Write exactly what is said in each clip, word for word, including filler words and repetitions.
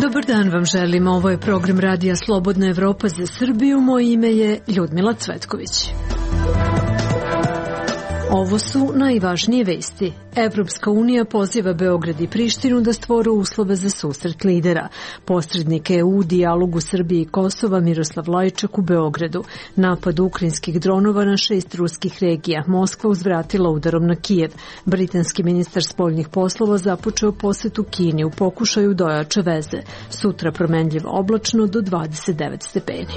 Dobar dan vam želim, ovo je program Radija Slobodna Evropa za Srbiju, moje ime je Ljudmila Cvetković. Ovo su najvažnije vesti. Evropska unija poziva Beograd i Prištinu da stvore uslove za susret lidera. Posrednik E U u dijalogu Srbije i Kosova Miroslav Lajčak u Beogradu. Napad ukrajinskih dronova na šest ruskih regija. Moskva uzvratila udarom na Kijev. Britanski ministar spoljnih poslova započeo posetu Kini u pokušaju da ojača veze. Sutra promenljivo oblačno do dvadeset devet stepeni.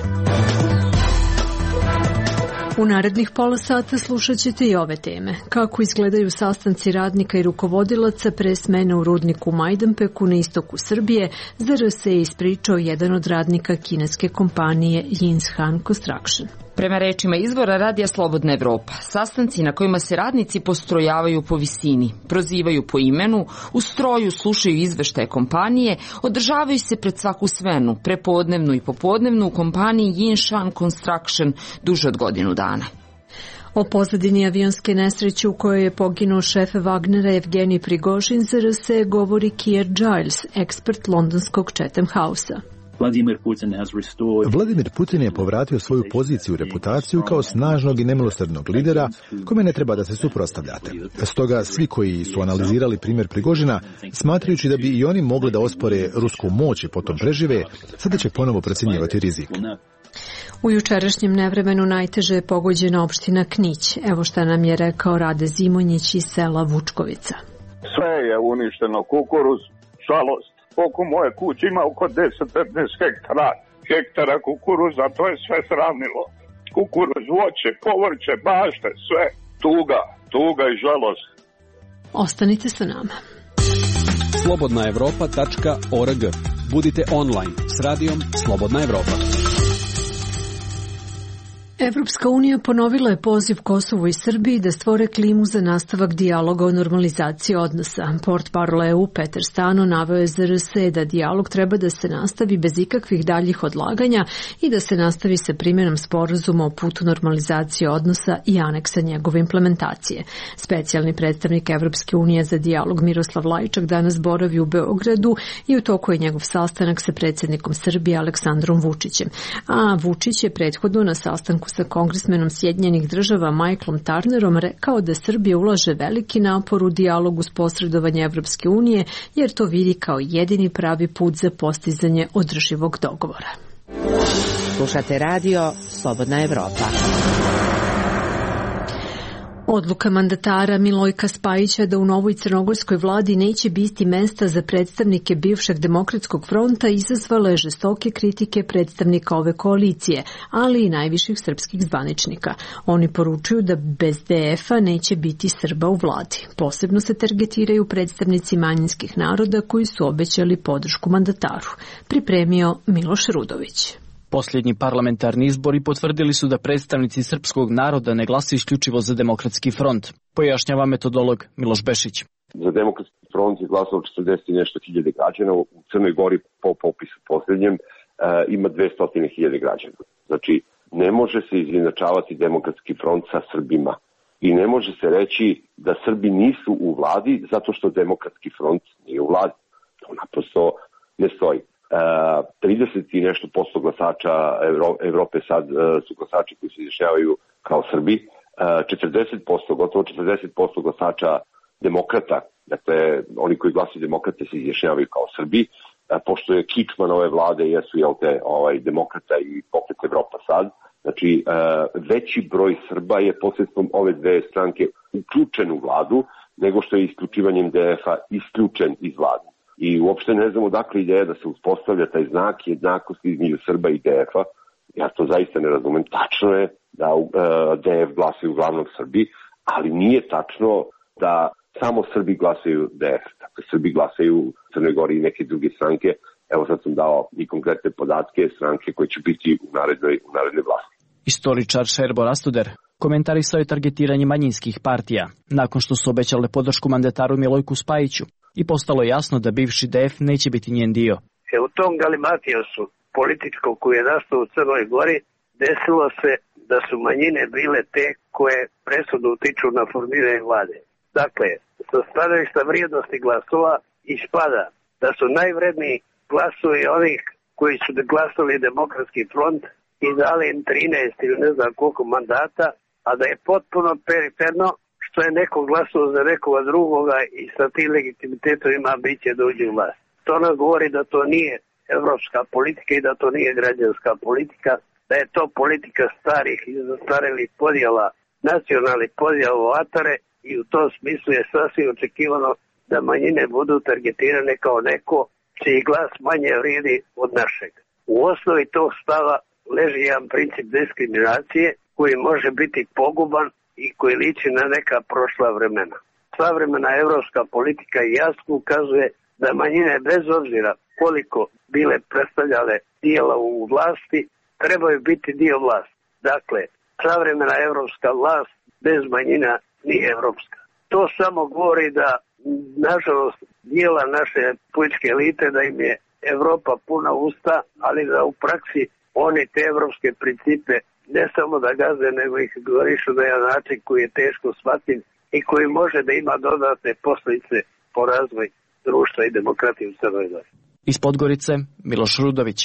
U narednih pola sata slušat ćete i ove teme. Kako izgledaju sastanci radnika i rukovodilaca pre smene u rudniku u Majdanpeku na istoku Srbije, za R S je ispričao jedan od radnika kineske kompanije Yinshan Construction. Prema rečima izvora Radija Slobodna Evropa, sastanci na kojima se radnici postrojavaju po visini, prozivaju po imenu, u stroju slušaju izveštaje kompanije, održavaju se pred svaku smenu, prepodnevnu i popodnevnu u kompaniji Yinshan Construction duže od godinu dana. O pozadini avionske nesreće u kojoj je poginuo šef Wagnera Evgenij Prigožin za R S govori Keir Giles, ekspert londonskog Chatham House-a. Vladimir Putin je povratio svoju poziciju i reputaciju kao snažnog i nemilosrdnog lidera kome ne treba da se suprotstavljate. Stoga svi koji su analizirali primjer Prigožina, smatrajući da bi i oni mogli da ospore rusku moć i potom prežive, sada će ponovo procjenjivati rizik. U jučerašnjem nevremenu najteže je pogođena opština Knić. Evo šta nam je rekao Rade Zimonjić iz sela Vučkovica. Sve je uništeno, kukuruz, žalost. Oko moje kuće ima oko deset do petnaest hektara, hektara kukuruza, to je sve sravnilo. Kukuruz, voće, povrće, bašte, sve. Tuga, tuga i žalost. Ostanite sa nama. slobodna evropa tačka org. Budite online s radijom Slobodna Evropa. Evropska unija ponovila je poziv Kosovu i Srbiji da stvore klimu za nastavak dijaloga o normalizaciji odnosa. Portparol E U Petar Stano naveo je za R S da dijalog treba da se nastavi bez ikakvih daljih odlaganja i da se nastavi sa primjenom sporazuma o putu normalizacije odnosa i aneksa njegove implementacije. Specijalni predstavnik Evropske unije za dijalog Miroslav Lajčak danas boravi u Beogradu i u toku je njegov sastanak sa predsjednikom Srbije Aleksandrom Vučićem. A Vučić je prethodno na sastanku sa kongresmenom Sjedinjenih država Michaelom Turnerom rekao da Srbija ulaže veliki napor u dijalogu s posredovanje Evropske unije jer to vidi kao jedini pravi put za postizanje održivog dogovora. Slušate radio Slobodna Evropa. Odluka mandatara Milojka Spajića da u novoj crnogorskoj vladi neće biti mesta za predstavnike bivšeg Demokratskog fronta izazvala je žestoke kritike predstavnika ove koalicije, ali i najviših srpskih zvaničnika. Oni poručuju da bez D F-a neće biti Srba u vladi. Posebno se targetiraju predstavnici manjinskih naroda koji su obećali podršku mandataru. Pripremio Miloš Rudović. Posljednji parlamentarni izbori potvrdili su da predstavnici srpskog naroda ne glasuju isključivo za Demokratski front, pojašnjava metodolog Miloš Bešić. Za Demokratski front je glasalo četrdeset i nešto hiljade građana, u Crnoj Gori po popisu posljednjem uh, ima dvesta hiljada građana. Znači, ne može se izjednačavati Demokratski front sa Srbima i ne može se reći da Srbi nisu u vladi zato što Demokratski front nije u vladi. To naprosto ne stoji. trideset i nešto posto glasača Evrope sad su glasači koji se izjašnjavaju kao Srbi, četrdeset posto, gotovo četrdeset posto glasača demokrata, dakle oni koji glasaju demokrate se izjašnjavaju kao Srbi, pošto je kičman ove vlade jesu jel te ovaj, demokrata i Pokret Evropa sad, znači veći broj Srba je posredstvom ove dve stranke uključen u vladu nego što je isključivanjem D F-a isključen iz vlade. I uopšte ne znam odakle ideja da se uspostavlja taj znak jednakosti između Srba i D F-a. Ja to zaista ne razumem. Tačno je da uh, D F glasaju uglavnom Srbi, ali nije tačno da samo Srbi glasaju D F. Dakle, Srbi glasaju u Crnoj Gori i neke druge stranke. Evo sad sam dao i konkretne podatke stranke koje će biti u narednoj, u narednoj vlasti. Istoričar Šerbo Rastuder komentarisao je targetiranje manjinskih partija nakon što su obećale podršku mandataru Milojku Spajiću i postalo je jasno da bivši D F neće biti njen dio. E, u tom galimatijosu političkom koji je nastao u Crnoj Gori desilo se da su manjine bile te koje presudu utiču na formiranje vlade. Dakle, sa stanovišta vrijednosti glasova ispada da su najvredniji glasovi onih koji su glasali Demokratski front i dali im trinaest ili ne znam koliko mandata, a da je potpuno periferno što je neko glasao za nekoga drugoga i sa tim legitimitetom ima ambicije da uđe u vlast. To nam govori da to nije evropska politika i da to nije građanska politika, da je to politika starih i zastarelih podjela, nacionalnih podjela u atare i u tom smislu je sasvim očekivano da manjine budu targetirane kao neko čiji glas manje vrijedi od našeg. U osnovi tog stava leži jedan princip diskriminacije koji može biti poguban i koji liči na neka prošla vremena. Savremena evropska politika jasno ukazuje da manjine bez obzira koliko bile predstavljale dijela u vlasti, trebaju biti dio vlasti. Dakle, savremena evropska vlast bez manjina nije evropska. To samo govori da, nažalost, dijela naše političke elite da im je Evropa puna usta, ali da u praksi oni te evropske principe ne samo da gaze, nego ih govorišu na jedan način koji je teško shvatljiv i koji može da ima dodatne posljedice po razvoj društva i demokratije u Crnoj Gori. Iz Podgorice, Miloš Rudović.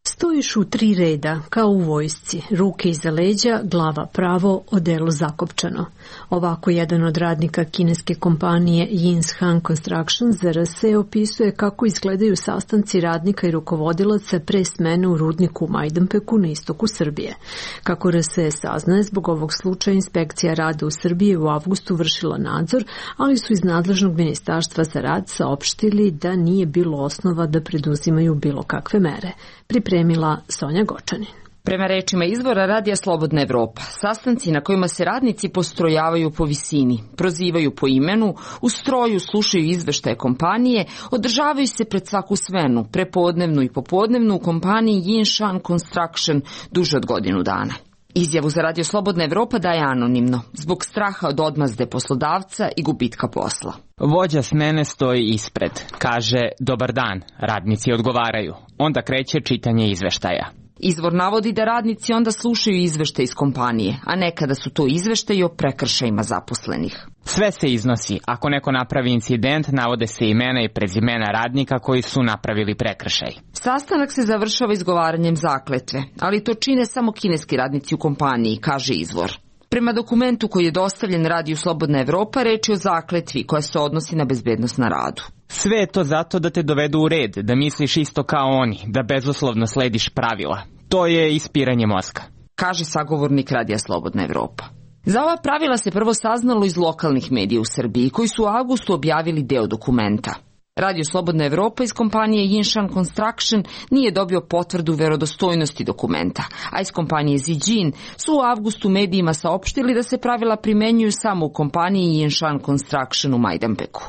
Stojiš u tri reda, kao u vojsci, ruke iza leđa, glava pravo, odelo zakopčano. Ovako jedan od radnika kineske kompanije Yinshan Construction Z R S opisuje kako izgledaju sastanci radnika i rukovodilaca pre smene u rudniku u Majdanpeku na istoku Srbije. Kako R S E saznaje, zbog ovog slučaja inspekcija rada u Srbiji u avgustu vršila nadzor, ali su iz nadležnog ministarstva za rad saopštili da nije bilo osnova da preduzimaju bilo kakve mere. Pripremila Sonja Gočanin. Prema rečima izvora Radija Slobodna Evropa, sastanci na kojima se radnici postrojavaju po visini, prozivaju po imenu, u stroju slušaju izveštaje kompanije, održavaju se pred svaku smenu, prepodnevnu i popodnevnu u kompaniji Yinshan Construction duže od godinu dana. Izjavu za Radio Slobodna Evropa daje anonimno, zbog straha od odmazde poslodavca i gubitka posla. Vođa smene stoji ispred, kaže dobar dan, radnici odgovaraju, onda kreće čitanje izveštaja. Izvor navodi da radnici onda slušaju izveštaj iz kompanije, a nekada su to izveštaji o prekršajima zaposlenih. Sve se iznosi. Ako neko napravi incident, navode se imena i prezimena radnika koji su napravili prekršaj. Sastanak se završava izgovaranjem zakletve, ali to čine samo kineski radnici u kompaniji, kaže izvor. Prema dokumentu koji je dostavljen Radiju Slobodna Evropa, reč je o zakletvi koja se odnosi na bezbednost na radu. Sve je to zato da te dovedu u red, da misliš isto kao oni, da bezuslovno slediš pravila. To je ispiranje mozga, kaže sagovornik Radija Slobodna Evropa. Za ova pravila se prvo saznalo iz lokalnih medija u Srbiji, koji su u avgustu objavili deo dokumenta. Radio Slobodna Evropa iz kompanije Yinshan Construction nije dobio potvrdu verodostojnosti dokumenta, a iz kompanije Zijin su u avgustu medijima saopštili da se pravila primenjuju samo u kompaniji Yinshan Construction u Majdanpeku.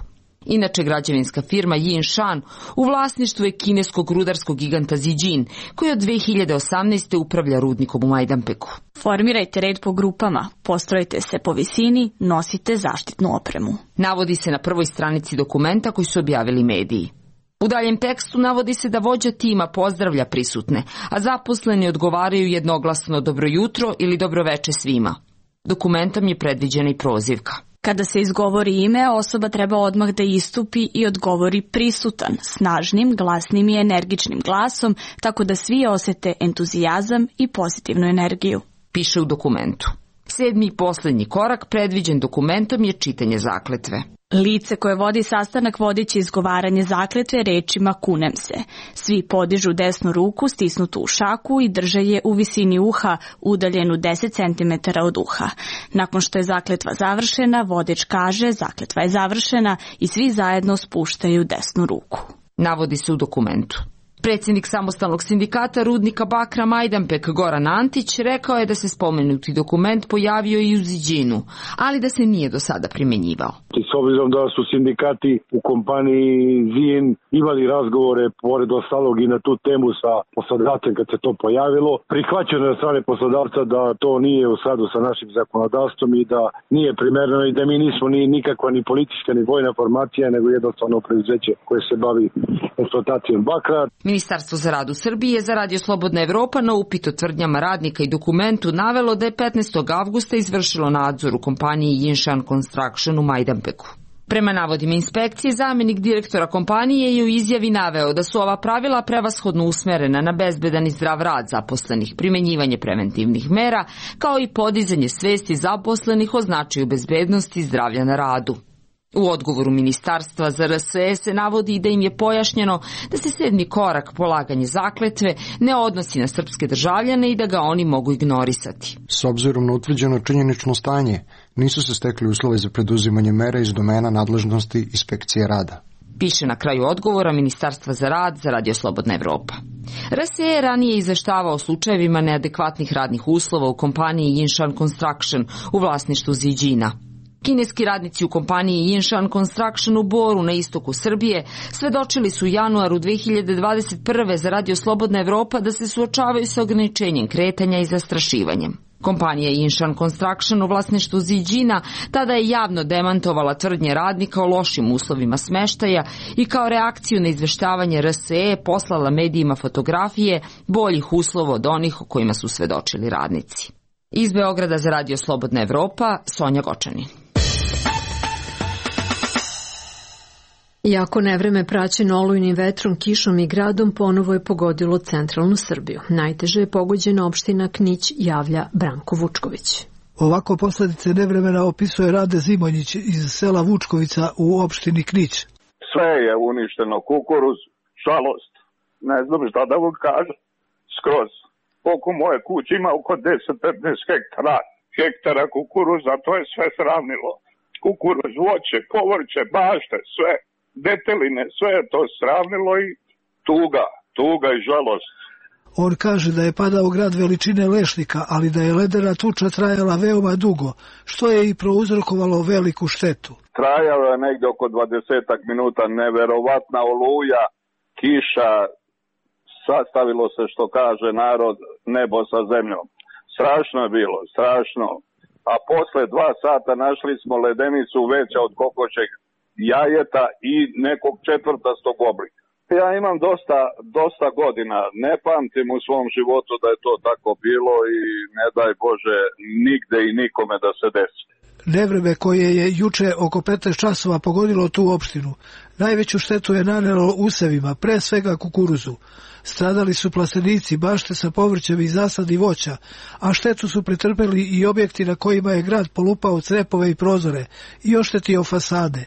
Inače, građevinska firma Yinshan u vlasništvu je kineskog rudarskog giganta Zijin, koji od dve hiljade osamnaeste. upravlja rudnikom u Majdanpeku. Formirajte red po grupama, postrojite se po visini, nosite zaštitnu opremu. Navodi se na prvoj stranici dokumenta koji su objavili mediji. U daljem tekstu navodi se da vođa tima pozdravlja prisutne, a zaposleni odgovaraju jednoglasno dobro jutro ili dobro veče svima. Dokumentom je predviđena i prozivka. Kada se izgovori ime, osoba treba odmah da istupi i odgovori prisutan, snažnim, glasnim i energičnim glasom, tako da svi osete entuzijazam i pozitivnu energiju. Piše u dokumentu. Sedmi i posljednji korak predviđen dokumentom je čitanje zakletve. Lice koje vodi sastanak vodit će izgovaranje zakletve rečima kunem se. Svi podižu desnu ruku stisnutu u šaku i drže je u visini uha, udaljenu deset centimetara od uha. Nakon što je zakletva završena, vodič kaže zakletva je završena i svi zajedno spuštaju desnu ruku. Navodi se u dokumentu. Predsjednik samostalnog sindikata rudnika bakra Majdanpek Goran Antić rekao je da se spomenuti dokument pojavio i u Zijinu, ali da se nije do sada primjenjivao. S obzirom da su sindikati u kompaniji Zijin imali razgovore pored ostalog i na tu temu sa poslodavcem kad se to pojavilo, prihvaćeno je od strane poslodavca da to nije u skladu sa našim zakonodavstvom i da nije primereno i da mi nismo ni nikakva ni politička ni vojna formacija, nego jednostavno preduzeće koje se bavi eksploatacijom bakra. Ministarstvo za rad u Srbiji je za Radio Slobodna Evropa na upit o tvrdnjama radnika i dokumentu navelo da je petnaestog avgusta izvršilo nadzor u kompaniji Jinshan Construction u Majdanpeku. Prema navodima inspekcije, zamenik direktora kompanije je u izjavi naveo da su ova pravila prevashodno usmerena na bezbedan i zdrav rad zaposlenih, primenjivanje preventivnih mera, kao i podizanje svesti zaposlenih o značaju bezbednosti i zdravlja na radu. U odgovoru Ministarstva za R S E se navodi da im je pojašnjeno da se sedmi korak, polaganje zakletve, ne odnosi na srpske državljane i da ga oni mogu ignorisati. S obzirom na utvrđeno činjenično stanje, nisu se stekli uslovi za preduzimanje mera iz domena nadležnosti inspekcije rada. Piše na kraju odgovora Ministarstva za rad za Radio Slobodna Evropa. R S E je ranije izveštavao o slučajevima neadekvatnih radnih uslova u kompaniji Jinshan Construction u vlasništvu Ziđina. Kineski radnici u kompaniji Jinshan Construction u Boru na istoku Srbije svedočili su u januaru dve hiljade dvadeset prve za Radio Slobodna Evropa da se suočavaju sa ograničenjem kretanja i zastrašivanjem. Kompanija Jinshan Construction u vlasništvu Ziđina tada je javno demantovala tvrdnje radnika o lošim uslovima smeštaja i kao reakciju na izveštavanje R S E poslala medijima fotografije boljih uslova od onih o kojima su svedočili radnici. Iz Beograda za Radio Slobodna Evropa, Sonja Gočanin. Jako nevreme praćeno olujnim vetrom, kišom i gradom ponovo je pogodilo centralnu Srbiju. Najteže je pogođena opština Knić, javlja Branko Vučković. Ovako posledice nevremena opisuje Rade Zimonjić iz sela Vučkovica u opštini Knić. Sve je uništeno, kukuruz, žalost, ne znam šta da vam kažem, skroz. Oko moje kuće ima oko deset do petnaest hektara, hektara kukuruza, to je sve sravnilo. Kukuruz, voće, povrće, bašte, sve. Deteline, sve je to sravnilo i tuga, tuga i žalost. On kaže da je padao grad veličine lešnika, ali da je ledena tuča trajala veoma dugo, što je i prouzrokovalo veliku štetu. Trajalo je negde oko dvadesetak minuta, neverovatna oluja, kiša, sastavilo se, što kaže narod, nebo sa zemljom. Strašno je bilo, strašno. A posle dva sata našli smo ledenicu veća od kokošeg jajeta i nekog četvrtastog oblika. Ja imam dosta, dosta godina, ne pamtim u svom životu da je to tako bilo i ne daj Bože nigde i nikome da se desi. Nevreme koje je juče oko petnaest časova pogodilo tu opštinu, najveću štetu je nanelo usevima, pre svega kukuruzu. Stradali su plastenici, bašte sa povrćem i zasadi voća, a štetu su pretrpeli i objekti na kojima je grad polupao crepove i prozore i oštetio fasade.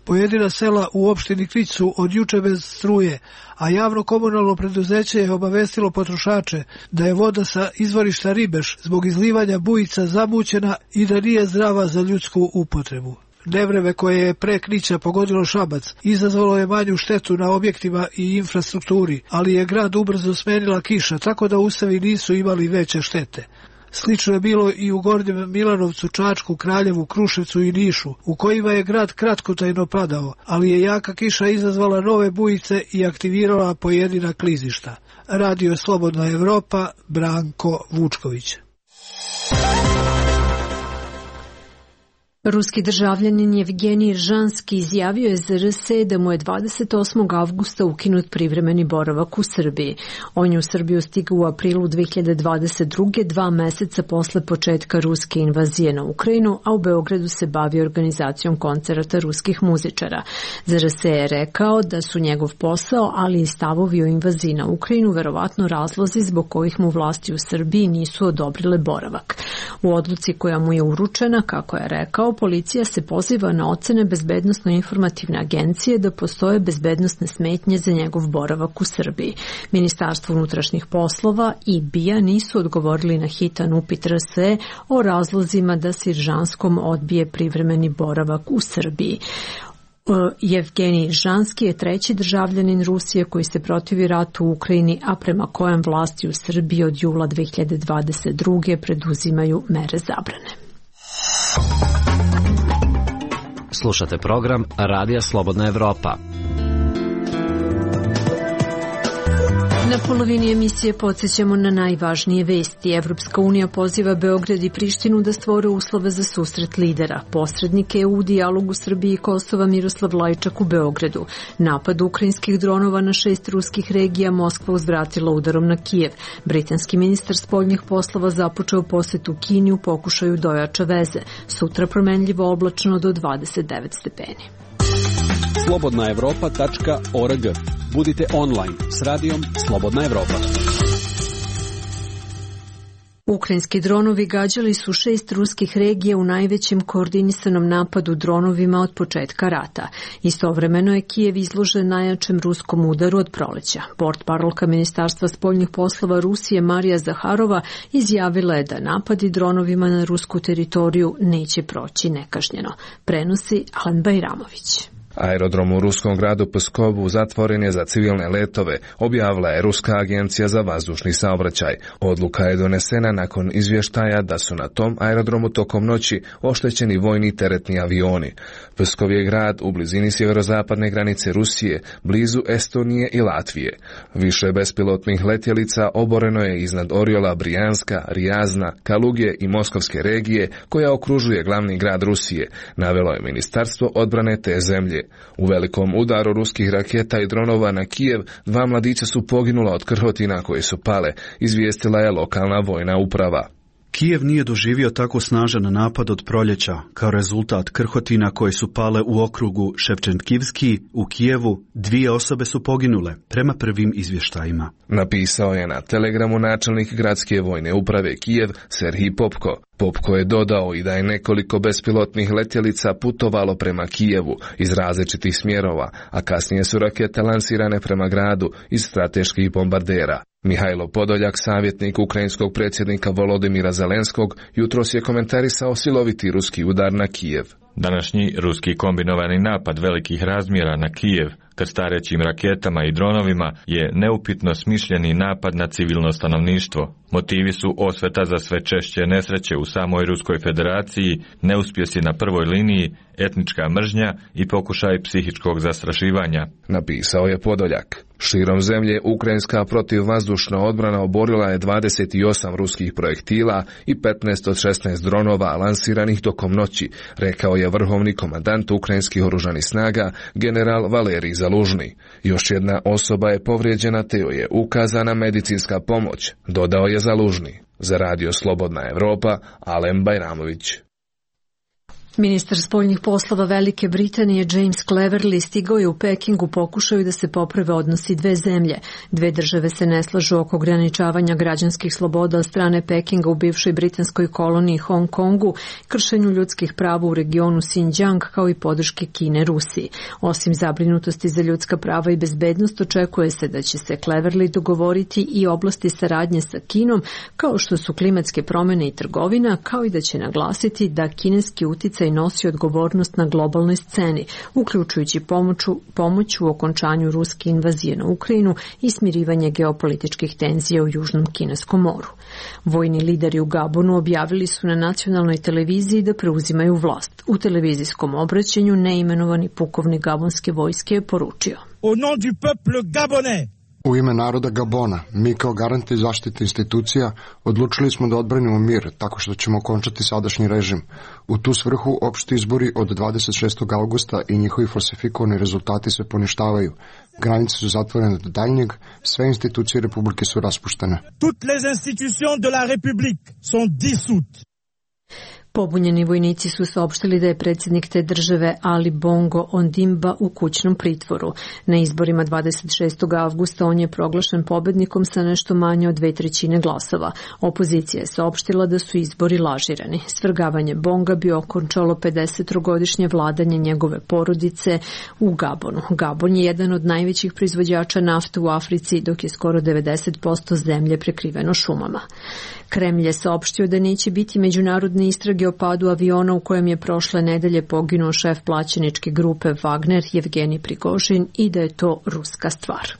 Pojedina sela u opštini Knić su od juče bez struje, a javno komunalno preduzeće je obavestilo potrošače da je voda sa izvorišta Ribeš zbog izlivanja bujica zamućena i da nije zdrava za ljudsku upotrebu. Nevreme koje je pre Knića pogodilo Šabac izazvalo je manju štetu na objektima i infrastrukturi, ali je grad ubrzo smenila kiša, tako da usevi nisu imali veće štete. Slično je bilo i u Gornjem Milanovcu, Čačku, Kraljevu, Kruševcu i Nišu, u kojima je grad kratkotrajno padao, ali je jaka kiša izazvala nove bujice i aktivirala pojedina klizišta. Radio Slobodna Evropa, Branko Vučković. Ruski državljanin Jevgenij Žanski izjavio je za R S E da mu je dvadeset osmog avgusta ukinut privremeni boravak u Srbiji. On je u Srbiju stigao u aprilu dve hiljade dvadeset druge, dva meseca posle početka ruske invazije na Ukrajinu, a u Beogradu se bavi organizacijom koncerata ruskih muzičara. Za R S E je rekao da su njegov posao, ali i stavovi o invaziji na Ukrajinu verovatno razlozi zbog kojih mu vlasti u Srbiji nisu odobrile boravak. U odluci koja mu je uručena, kako je rekao, policija se poziva na ocene Bezbednosno-informativne agencije da postoje bezbednosne smetnje za njegov boravak u Srbiji. Ministarstvo unutrašnjih poslova i B I A nisu odgovorili na hitan upit R S E o razlozima da se Žanskom odbije privremeni boravak u Srbiji. Jevgenij Žanski je treći državljanin Rusije koji se protivi ratu u Ukrajini, a prema kojem vlasti u Srbiji od jula dve hiljade dvadeset druge preduzimaju mere zabrane. Slušate program Radija Slobodna Evropa. Na polovini emisije podsjećamo na najvažnije vesti. Evropska unija poziva Beograd i Prištinu da stvore uslove za susret lidera. Posrednik E U u dijalogu Srbije i Kosova Miroslav Lajčak u Beogradu. Napad ukrajinskih dronova na šest ruskih regija Moskva uzvratila udarom na Kijev. Britanski ministar spoljnih poslova započeo posetu Kini u pokušaju da ojača veze. Sutra promenljivo oblačno do dvadeset devet stepeni. slobodna evropa tačka org. Budite online s radijom Slobodna Evropa. Ukrajinski dronovi gađali su šest ruskih regija u najvećem koordinisanom napadu dronovima od početka rata. Istovremeno je Kijev izložen najjačem ruskom udaru od proleća. Portparolka Ministarstva spoljnih poslova Rusije Marija Zaharova izjavila je da napadi dronovima na rusku teritoriju neće proći nekažnjeno. Prenosi Alen Bajramović. Aerodrom u ruskom gradu Pskovu zatvoren je za civilne letove, objavila je Ruska agencija za vazdušni saobraćaj. Odluka je donesena nakon izvještaja da su na tom aerodromu tokom noći oštećeni vojni teretni avioni. Pskov je grad u blizini sjeverozapadne granice Rusije, blizu Estonije i Latvije. Više bespilotnih letjelica oboreno je iznad Oriola, Brijanska, Rijazna, Kalugije i Moskovske regije koja okružuje glavni grad Rusije, navelo je Ministarstvo odbrane te zemlje. U velikom udaru ruskih raketa i dronova na Kijev dva mladića su poginula od krhotina koje su pale, izvijestila je lokalna vojna uprava. Kijev nije doživio tako snažan napad od proljeća. Kao rezultat krhotina koje su pale u okrugu Ševčenkivski u Kijevu, dvije osobe su poginule, prema prvim izvještajima. Napisao je na Telegramu načelnik gradske vojne uprave Kijev Serhij Popko. Popko je dodao i da je nekoliko bespilotnih letjelica putovalo prema Kijevu iz različitih smjerova, a kasnije su rakete lansirane prema gradu iz strateških bombardera. Mihajlo Podoljak, savjetnik ukrajinskog predsjednika Volodimira Zelenskog, jutros je komentarisao siloviti ruski udar na Kijev. Današnji ruski kombinovani napad velikih razmjera na Kijev krstarećim raketama i dronovima je neupitno smišljeni napad na civilno stanovništvo. Motivi su osveta za sve češće nesreće u samoj Ruskoj federaciji, neuspjesi na prvoj liniji, etnička mržnja i pokušaj psihičkog zastrašivanja, napisao je Podoljak. Širom zemlje ukrajinska protivvazdušna odbrana oborila je dvadeset osam ruskih projektila i petnaest od šesnaest dronova lansiranih tokom noći, rekao je vrhovni komandant ukrajinskih oružanih snaga general Valerij Zalužni. Još jedna osoba je povrijeđena te joj je ukazana medicinska pomoć, dodao je Zalužni. Za radio Slobodna Evropa, Alen Bajramović. Ministar spoljnih poslova Velike Britanije James Cleverly stigao je u Peking u pokušaju da se poprave odnosi dve zemlje. Dve države se ne slažu oko ograničavanja građanskih sloboda od strane Pekinga u bivšoj britanskoj koloniji Hong Kongu, kršenju ljudskih prava u regionu Xinjiang kao i podrške Kine Rusiji. Osim zabrinutosti za ljudska prava i bezbednost, očekuje se da će se Cleverly dogovoriti i oblasti saradnje sa Kinom, kao što su klimatske promjene i trgovina, kao i da će naglasiti da kineski uticaj i nosi odgovornost na globalnoj sceni, uključujući pomoću, pomoć u okončanju ruske invazije na Ukrajinu i smirivanje geopolitičkih tenzija u Južnom Kineskom moru. Vojni lideri u Gabonu objavili su na nacionalnoj televiziji da preuzimaju vlast. U televizijskom obraćanju neimenovani pukovnik gabonske vojske je poručio: Au nom du peuple gabonais, u ime naroda Gabona, mi kao garanti zaštite institucija odlučili smo da odbranimo mir tako što ćemo okončati sadašnji režim. U tu svrhu opšti izbori od dvadeset šestog augusta i njihovi falsifikovani rezultati se poništavaju. Granice su zatvorene do daljnjeg, sve institucije Republike su raspuštene. Toutes les institutions de la République sont dissoutes. Pobunjeni vojnici su saopštili da je predsjednik te države Ali Bongo Ondimba u kućnom pritvoru. Na izborima dvadeset šestog avgusta on je proglašen pobednikom sa nešto manje od dve trećine glasova. Opozicija je saopštila da su izbori lažirani. Svrgavanje Bonga bi okončalo pedesettrogodišnje vladanje njegove porodice u Gabonu. Gabon je jedan od najvećih proizvođača nafte u Africi, dok je skoro devedeset posto zemlje prekriveno šumama. Kremlj je saopštio da neće biti međunarodne istrage o padu aviona u kojem je prošle nedelje poginuo šef plaćeničke grupe Wagner Jevgenij Prigožin i da je to ruska stvar.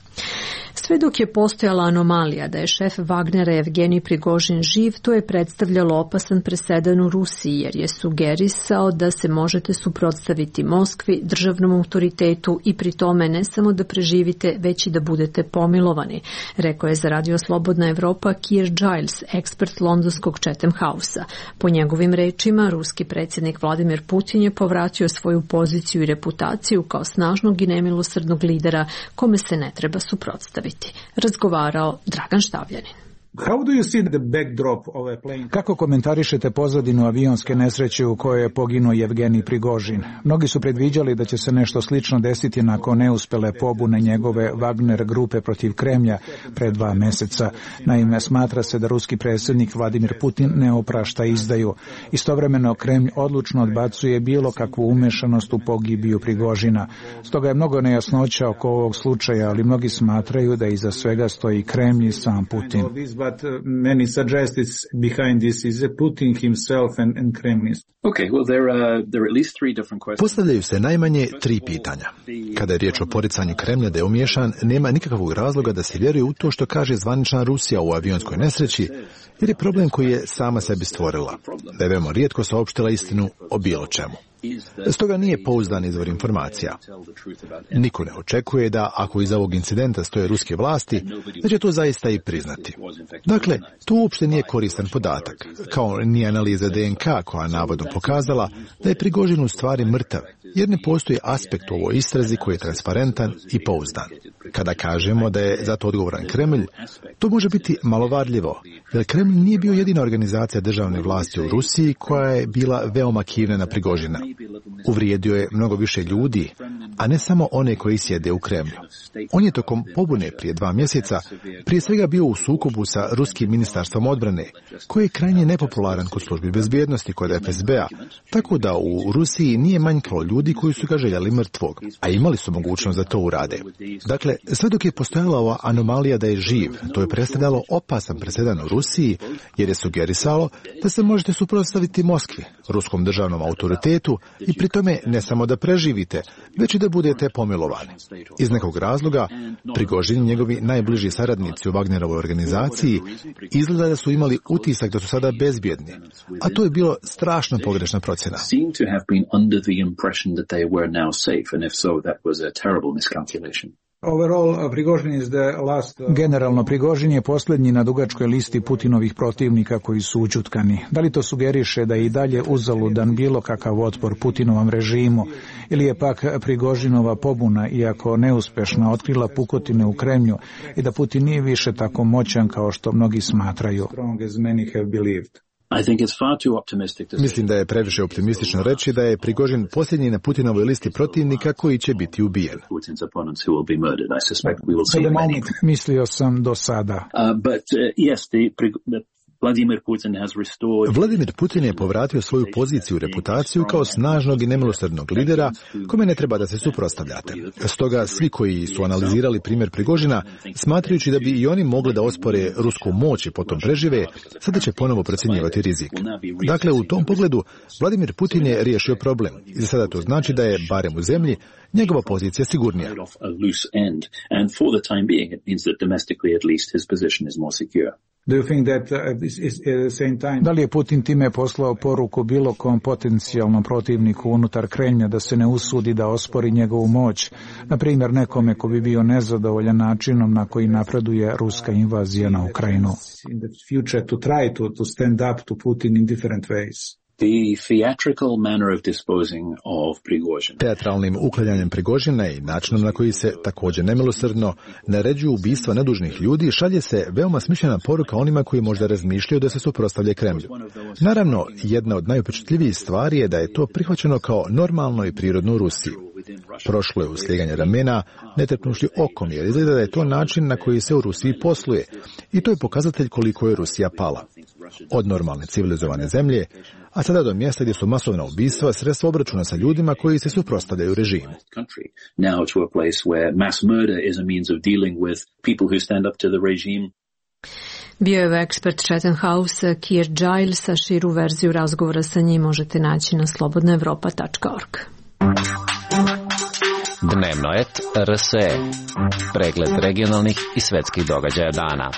Sve dok je postojala anomalija da je šef Wagnera Evgenij Prigožin živ, to je predstavljalo opasan presedan u Rusiji, jer je sugerisao da se možete suprotstaviti Moskvi, državnom autoritetu i pri tome ne samo da preživite, već i da budete pomilovani, rekao je za Radio Slobodna Evropa Keir Giles, ekspert londonskog Chatham House-a. Po njegovim rečima, ruski predsjednik Vladimir Putin je povratio svoju poziciju i reputaciju kao snažnog i nemilosrdnog lidera kome se ne treba suprotstaviti. Razgovarao Dragan Štavljanin. Kako komentarišete pozadinu avionske nesreće u kojoj je poginuo Evgenij Prigožin? Mnogi su predviđali da će se nešto slično desiti nakon neuspele pobune njegove Wagner grupe protiv Kremlja pre dva meseca. Naime, smatra se da ruski predsjednik Vladimir Putin ne oprašta izdaju. Istovremeno Kremlj odlučno odbacuje bilo kakvu umešanost u pogibiju Prigožina. Stoga je mnogo nejasnoća oko ovog slučaja, ali mnogi smatraju da iza svega stoji Kremlj i sam Putin. But many suggest it's behind this is Putin himself and, and Kremlin. Okay, well there are there are at least three different questions. Postavljaju se najmanje tri pitanja. Kada je riječ o poricanju Kremlja da je umiješan, nema nikakvog razloga da se vjeruje u to što kaže zvanična Rusija u avionskoj nesreći, jer je problem koji je sama sebi stvorila. Da je veoma rijetko saopštila istinu o bilo čemu. Stoga nije pouzdan izvor informacija. Niko ne očekuje da, ako iza ovog incidenta stoje ruske vlasti, da će to zaista i priznati. Dakle, to uopšte nije koristan podatak, kao ni analiza D N K koja navodno pokazala da je Prigožin u stvari mrtav, jer ne postoji aspekt u ovoj istrazi koji je transparentan i pouzdan. Kada kažemo da je zato odgovoran Kremlj, to može biti malovarljivo, jer Kremlj nije bio jedina organizacija državne vlasti u Rusiji koja je bila veoma kivna na Prigožina. Uvrijedio je mnogo više ljudi, a ne samo one koji sjede u Kremlju. On je tokom pobune prije dva mjeseca prije svega bio u sukobu sa ruskim ministarstvom odbrane, koji je krajnje nepopularan kod službi bezbjednosti kod F S B-a, tako da u Rusiji nije manjkalo ljudi koji su ga željeli mrtvog, a imali su mogućnost da to urade. Dakle, sve dok je postojala ova anomalija da je živ, to je predstavljalo opasan presedan u Rusiji, jer je sugerisalo da se možete suprotstaviti Moskvi, ruskom državnom autoritetu, i pri tome ne samo da preživite, već i da budete pomilovani. Iz nekog razloga, Prigožin i njegovi najbliži saradnici u Wagnerovoj organizaciji izgleda da su imali utisak da su sada bezbjedni, a to je bilo strašno pogrešna procjena. Generalno, Prigožin je posljednji na dugačkoj listi Putinovih protivnika koji su ućutkani. Da li to sugeriše da je i dalje uzaludan bilo kakav otpor Putinovom režimu, ili je pak Prigožinova pobuna, iako neuspešna, otkrila pukotine u Kremlju i da Putin nije više tako moćan kao što mnogi smatraju? Mislim da je previše optimistično reći da je Prigožin posljednji na Putinovoj listi protivnika koji će biti ubijen. Mislio sam do sada. Vladimir Putin je povratio svoju poziciju i reputaciju kao snažnog i nemilosrdnog lidera kome ne treba da se suprotstavljate. Stoga svi koji su analizirali primjer Prigožina, smatrajući da bi i oni mogli da ospore rusku moć i potom prežive, sada će ponovo procjenjivati rizik. Dakle, u tom pogledu Vladimir Putin je riješio problem i za sada to znači da je, barem u zemlji, njegova pozicija sigurnija. Da li je Putin time poslao poruku bilo kom potencijalnom protivniku unutar Kremlja da se ne usudi da ospori njegovu moć, na primjer nekome ko bi bio nezadovoljan načinom na koji napreduje ruska invazija na Ukrajinu? Teatralnim uklanjanjem Prigožina i načinom na koji se također nemilosrdno naređuju ubistva nedužnih ljudi šalje se veoma smišljena poruka onima koji možda razmišljaju da se suprotstavlja Kremlju. Naravno, jedna od najupečatljivijih stvari je da je to prihvaćeno kao normalno i prirodno u Rusiji. Prošlo je u slijeganje ramena, ne trepnušli okom, jer izgleda da je to način na koji se u Rusiji posluje. I to je pokazatelj koliko je Rusija pala. Od normalne civilizovane zemlje, a sada do mjesta gdje su masovna ubistva sredstvo obračuna sa ljudima koji se suprotstavljaju režimu. Bio je ekspert Chatham House Keir Giles, a širu verziju razgovora sa njim možete naći na slobodna evropa tačka org. Dnevnoet R S E. Pregled regionalnih i svetskih događaja dana.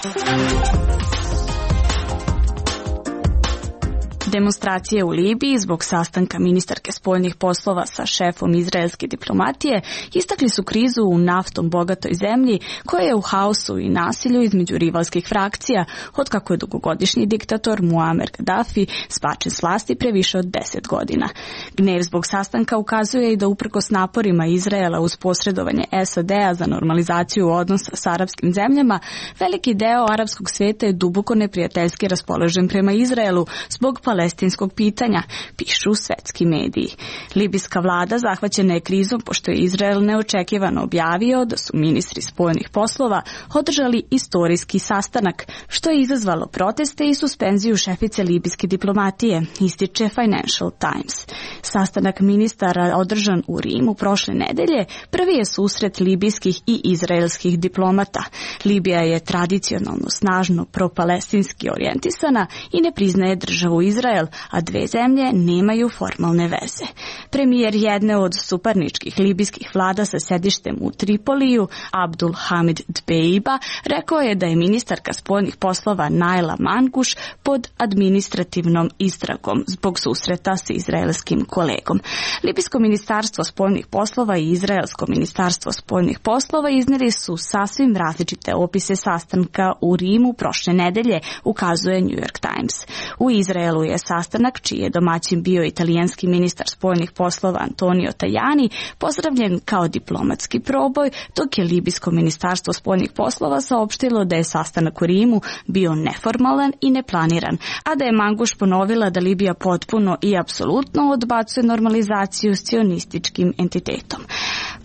Demonstracije u Libiji zbog sastanka ministarke spoljnih poslova sa šefom izraelske diplomatije istakli su krizu u naftom bogatoj zemlji koja je u haosu i nasilju između rivalskih frakcija otkako je dugogodišnji diktator Muammar Gaddafi spačen s vlasti pre više od deset godina. Gnev zbog sastanka ukazuje i da uprkos naporima Izraela uz posredovanje S A D-a za normalizaciju odnosa s arapskim zemljama, veliki deo arapskog sveta je duboko neprijateljski raspoložen prema Izraelu zbog palestinskog pitanja, pišu svetski mediji. Libijska vlada zahvaćena je krizom pošto je Izrael neočekivano objavio da su ministri spoljnih poslova održali istorijski sastanak, što je izazvalo proteste i suspenziju šefice libijske diplomatije, ističe Financial Times. Sastanak ministara održan u Rimu prošle nedelje prvi je susret libijskih i izraelskih diplomata. Libija je tradicionalno snažno propalestinski orijentisana i ne priznaje državu Izrael, a dve zemlje nemaju formalne veze. Premijer jedne od suparničkih libijskih vlada sa sedištem u Tripoliju, Abdul Hamid Dbeiba, rekao je da je ministarka spoljnih poslova Naila Manguš pod administrativnom istragom zbog susreta sa izraelskim kolegom. Libijsko ministarstvo spoljnih poslova i Izraelsko ministarstvo spoljnih poslova iznijeli su sasvim različite opise sastanka u Rimu prošle nedelje, ukazuje New York Times. U Izraelu je sastanak, čiji je domaćin bio italijanski ministar spoljnih poslova Antonio Tajani, pozdravljen kao diplomatski proboj, dok je libijsko ministarstvo spoljnih poslova saopštilo da je sastanak u Rimu bio neformalan i neplaniran, a da je Manguš ponovila da Libija potpuno i apsolutno odbacuje normalizaciju s cionističkim entitetom.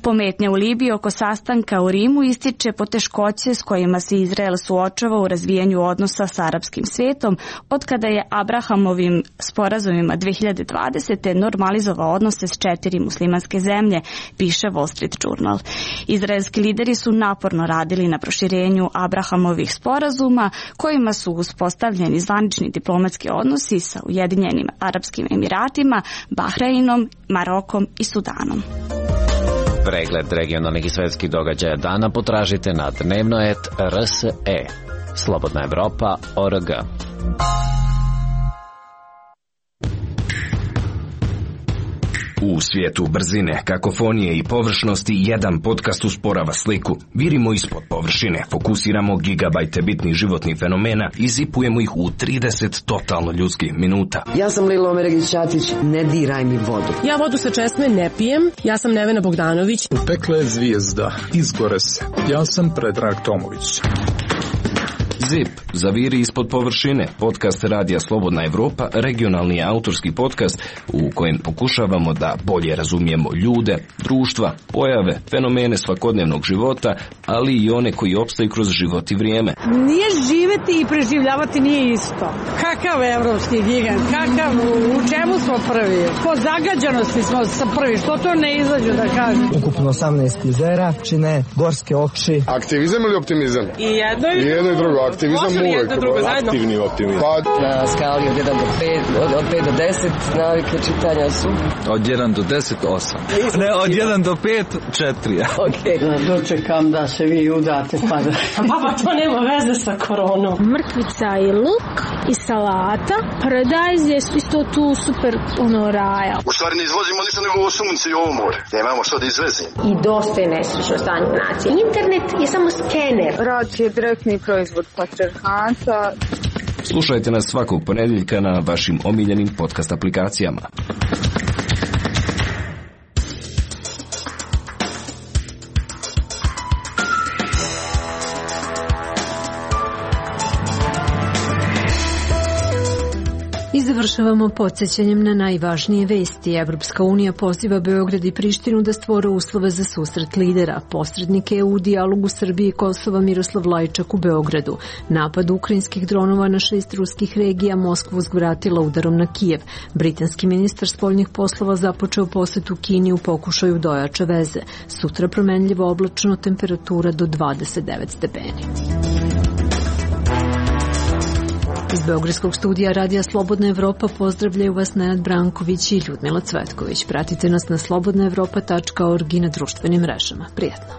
Pometnja u Libiji oko sastanka u Rimu ističe poteškoće s kojima se Izrael suočava u razvijanju odnosa s arapskim svetom, od kada je Abrahamovim sporazumima dve hiljade dvadesete normalizovao odnose s četiri muslimanske zemlje, piše Wall Street Journal. Izraelski lideri su naporno radili na proširenju Abrahamovih sporazuma, kojima su uspostavljeni zvanični diplomatski odnosi sa Ujedinjenim Arapskim Emiratima, Bahreinom, Marokom i Sudanom. Pregled regionalnih i svetskih događaja dana potražite na Dnevnoet R S E. Slobodna Evropa O R G. U svijetu brzine, kakofonije i površnosti jedan podcast usporava sliku. Virimo ispod površine, fokusiramo gigabajte bitnih životnih fenomena i zipujemo ih u trideset totalno ljudskih minuta. Ja sam Lilo Omeregić-Ćatić, ne diraj mi vodu. Ja vodu sa česme ne pijem, ja sam Nevena Bogdanović. Utekla je zvijezda, izgore se. Ja sam Predrag Tomović. Zip, zaviri ispod površine, podcast Radija Slobodna Evropa, regionalni autorski podcast u kojem pokušavamo da bolje razumijemo ljude, društva, pojave, fenomene svakodnevnog života, ali i one koji opstaju kroz život i vrijeme. Nije živeti i preživljavati nije isto. Kakav evropski gigant, kakav, u čemu smo prvi? Po zagađanosti smo sa prvi, što to ne izađu da kažem? Ukupno osamnaest jezera, čine gorske oči. Aktivizam ili optimizam? I jedno i, I jedno i drugo. Aktivizam uvek. Aktivni optimizam. Pa... Na skali od jedan do pet, od, od pet do deset, navike čitanja su... Od jedan do deset, osam. Ne, od jedan do pet, četiri. Okej. Okay. Dočekam da se vi udate pa da... Baba, to nema veze sa koronom. Mrkvica i luk i salata. Paradajz je isto tu super ono raja. U stvari ne izvozimo ništa nego ovo sunce i ovo more. Nemamo što da izvezimo. I dosta je nesrećno stanje nacije. Internet je samo skener. Rad je direktni proizvod patrijarhata. Slušajte nas svakog ponedjeljka na vašim omiljenim podcast aplikacijama. I završavamo podsjećanjem na najvažnije vesti. Evropska unija poziva Beograd i Prištinu da stvore uslove za susret lidera. Posrednik E U u dijalogu Srbije i Kosova Miroslav Lajčak u Beogradu. Napad ukrajinskih dronova na šest ruskih regija Moskvu uzvratila udarom na Kijev. Britanski ministar spoljnih poslova započeo posetu Kini u pokušaju da ojača veze. Sutra promenljivo oblačno, temperatura do dvadeset devet stepeni. Iz Beogradskog studija Radija Slobodna Evropa pozdravljaju vas Nenad Branković i Ljudmila Cvetković. Pratite nas na slobodna evropa tačka org i na društvenim mrežama. Prijetno.